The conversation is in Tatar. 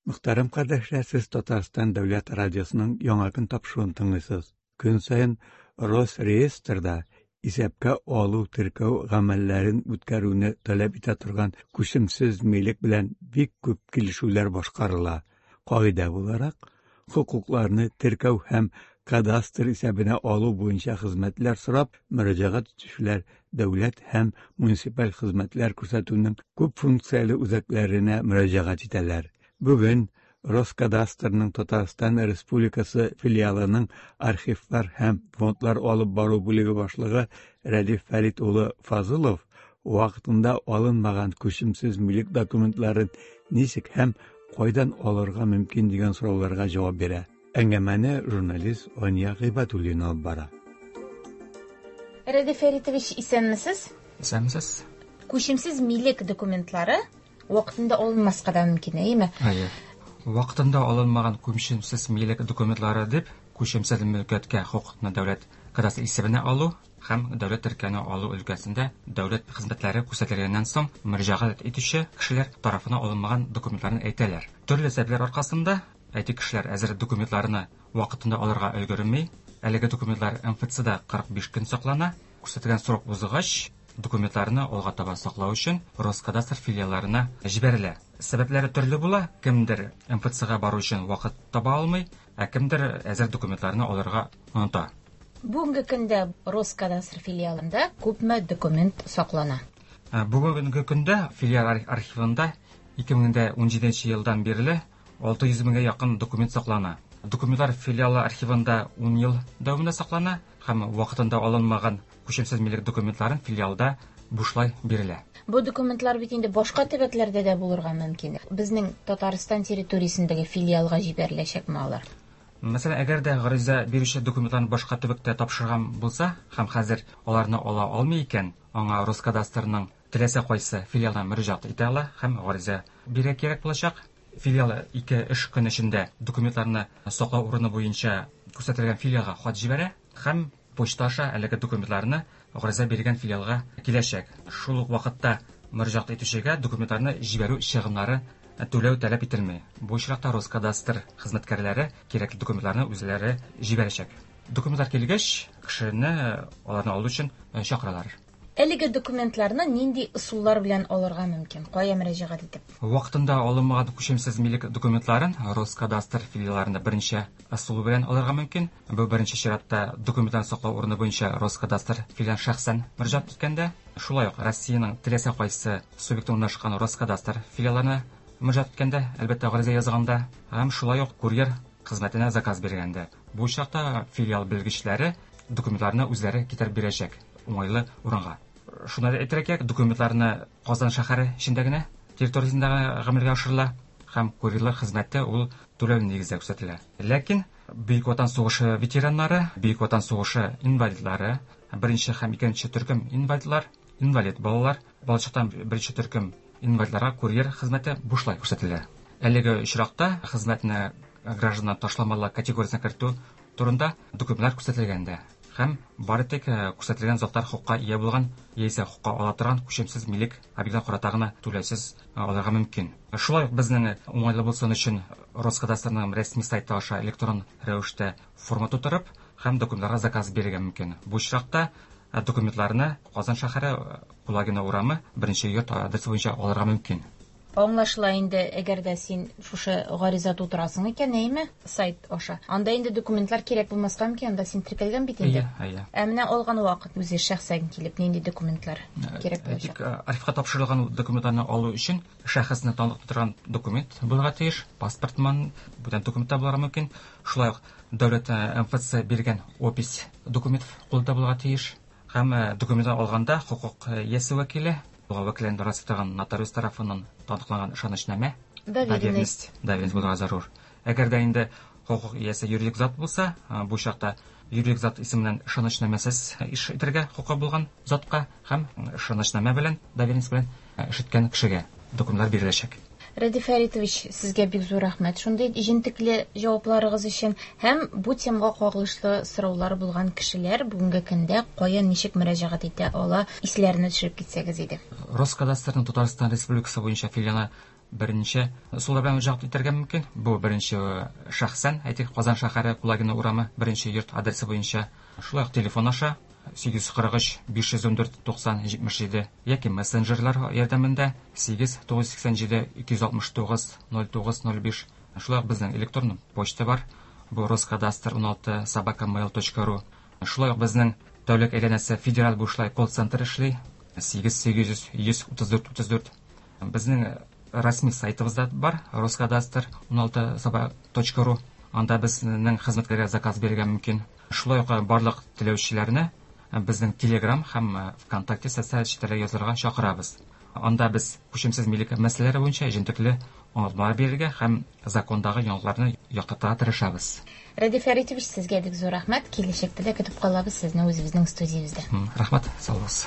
Мөхтәрәм кардәшләр, сез Татарстан дәүләт радиосының Яңа көн тапшыруын тыңлыйсыз. Көн саен Росреестрда исәпкә алу теркәү гамәлләрен үткәрүне таләп итә торган күчемсез милек белән бик күп килешүләр башкарыла. Кагыйдә буларак, хокукларны теркәү һәм кадастр исәбенә алу буенча хезмәтләр сорап мөрәҗәгать итүчеләр дәүләт һәм муниципаль хезмәтләр күрсәтүнең күп функцияле үзәкләренә мөрәҗәгать итәләр. Бүген Роскадастрның Татарстан Республикасы филиалының архивлар һәм фондлар алып бару бүлеге башлыгы Рәдиф Фәрит улы Фазылов вакытында алынмаган күчемсез милек документларын ничек һәм кайдан алырга мөмкин дигән сорауларга җавап бирә. Әңгәмәне журналист Ания Гыйбадуллина алып бара. Рәдиф Фәритович, исәнмесез? Исәнмесез. Күчемсез милек документлары вакытында алынмаска да мөмкин, әйеме? Әйе. Вакытында алынмаган күчемсез милек документлары дип, күчемсез мөлкәткә хокукны дәүләт кадастр исәбенә алу һәм дәүләт теркәвенә алу өлкәсендә дәүләт хезмәтләре күрсәтелгәннән соң мөрәҗәгать итүче кешеләр тарафына алынмаган документларны әйтәләр. Төрле сәбәпләр аркасында, әйтик, кешеләр әзер документларны вакытында алырга өлгерми. Әлеге документлар МФЦда 45 көн саклана. Күрсәтелгән срок узгач, документларны алга таба саклау өчен Роскадастр филиалларына җибәрелә. Сәбәпләре төрле була, кемдер МФЦга бару өчен вакыт таба алмый, ә кемдер әзер документларны алырга оныта. Бүгенге көндә Роскадастр филиалында күпме документ саклана? Бүгенге көндә филиал архивында 2017 елдан бирле 600 меңгә якын документ саклана. Документлар филиалы архивында 10 ел дәвамында саклана һәм вакытында алынмаган күчемсез милек документларын филиалда бушлай бирелә. Бу документлар бит инде башка төбәкләрдә дә булырга мөмкин. Безнең Татарстан территориясендәге филиалга җибәреләчәкме алар? Мәсәлән, әгәр дә гариза бирүче документларны башка төбәктә тапшырган булса һәм хәзер аларны ала алмый икән, аңа Роскадастрның теләсә кайсы филиалына мөрәҗәгать итә ала һәм гариза бирергә кирәк булачак. Филиал ике эш көн эчендә документларны саклау урыны буенча күрсәтелгән филиалга хат җибәрә һәм почта аша әлеге документларны гариза биргән филиалга киләчәк. Шул ук вакытта мөрәҗәгать итүчегә документларны җибәрү чыгымнары түләү таләп ителми. Бу очракта Роскадастр хезмәткәрләре кирәкле документларны үзләре җибәрәчәк. Документлар килгәч, кешене аларны алу өчен чакыралар. Әлеге документларны нинди ысуллар белән алырга мөмкин? Кая мөрәҗәгать итеп? Вакытында алынмаган күчемсез милек документларын Роскадастр филиалларында берничә ысул белән алырга мөмкин. Бу беренче чиратта документларны саклау урыны буенча Роскадастр филиалына шәхсән мөрәҗәгать иткәндә, шулай ук Россиянең теләсә кайсы субъекты урнашкан Роскадастр филиалларына мөрәҗәгать иткәндә, әлбәттә, гариза язганда, һәм шулай ук курьер хезмәтенә заказ биргәндә. Бу очракта филиал белгечләре документларны үзләре китереп бирәчәк уңайлы урынга. Шуны да әйтергә кирәк, документларны Казан шәһәре эчендә генә, территориясендә генә гамәлгә ашырыла һәм курьерлар хезмәте ул түләүле нигездә күрсәтелә. Ләкин Бөек Ватан сугышы ветераннары, Бөек Ватан сугышы инвалидлары, беренче һәм икенче төркем инвалидлар, инвалид балалар, балачактан беренче төркем инвалидларга курьер хезмәте бушлай күрсәтелә. Әлеге очракта хезмәтне гражданнар ташламалы категориясенә кертү турында документлар күрсәтелгән дә һәм бары тик күрсәтелгән затлар хокукка ия булган яисә хокукка ала торган күчемсез милек объектына карата гына түләүсез алырга мөмкин. Шулай ук безнең уңайлы булсын өчен Роскадастрның рәсми сайты аша электрон рәвештә форма тутырып һәм документларга заказ бирергә мөмкин. Бу очракта документларны Казан шәһәре Кулагина урамы беренче йорт адресы буенча алырга мөмкин. Аңлашыла инде, әгәр дә син шушы гариза тутырасың икән, әйеме, сайт аша. Анда инде документлар кирәк булмаска мөмкин, анда син теркәлгән бит инде. Әйе, әйе. Ә менә алган вакыт үзе шәхсән килеп нинди документлар кирәк булачак? Әйтик, архивка тапшырылган документларны алу өчен шәхесне таныклап торган документ булырга тиеш, паспортман, бүтән документ та булырга мөмкин. Шулай ук дәүләт МФЦ биргән опись документ кулда булырга тиеш. Һәм документны алганда хокук иясе вәкиле, вәкилен раслый нотариус тарафыннан таныкланган ышанычнамә, доверенность, доверенность булырга зарур. Әгәр дә инде хокук иясе юридик зат булса, бу чакта юридик зат исеменнән ышанычнамәсез эш итәргә хокукы булган затка һәм ышанычнамә белән, доверенность белән эш иткән кешегә документлар биреләчәк. Рәдиф Фәритович, сезгә бик зур рәхмәт шундый җентекле җавапларыгыз өчен һәм бу темага кагылышлы сораулар булган кешеләр бүгенге көндә кая ничек мөрәҗәгать итә ала, исләренә төшереп китсәгез иде. Роскадастрның Татарстан Республикасы буенча филиалы Берничә ысуллар белән мөрәҗәгать итәргә мөмкин. Бу беренче шәхсән, әйтик, Казан шәһәре Кулагина урамы, беренче йорт адресы буенча. Шулай ук телефон аша 843 514 90 77 яки мессенджерлар ярдәмендә 8 987 269 09 05. Шулай ук безнең электрон почта бар. Бу roskadastr16@mail.ru. Шулай ук безнең тәүлек әйләнәсе федераль бушлай колл-центр эшли. 8 800 134 34. Безнең рәсми сайтыбыз да бар, roskadastr16@.ru. Анда безнең хезмәткәргә заказ бирергә мөмкин. Шулай ук барлык теләүчеләрне безнең Telegram һәм ВКонтакте социаль челтәрләргә язылырга чакырабыз. Анда без күчемсез милек мәсьәләләре буенча җентекле аңлатмалар бирергә һәм закондагы яңалыкларны яктыртырга тырышабыз. Радий Фәритович, сезгә бик зур рәхмәт. Киләчәктә дә көтеп калабыз сезне үзебезнең студиябездә. Рәхмәт, сау булыгыз.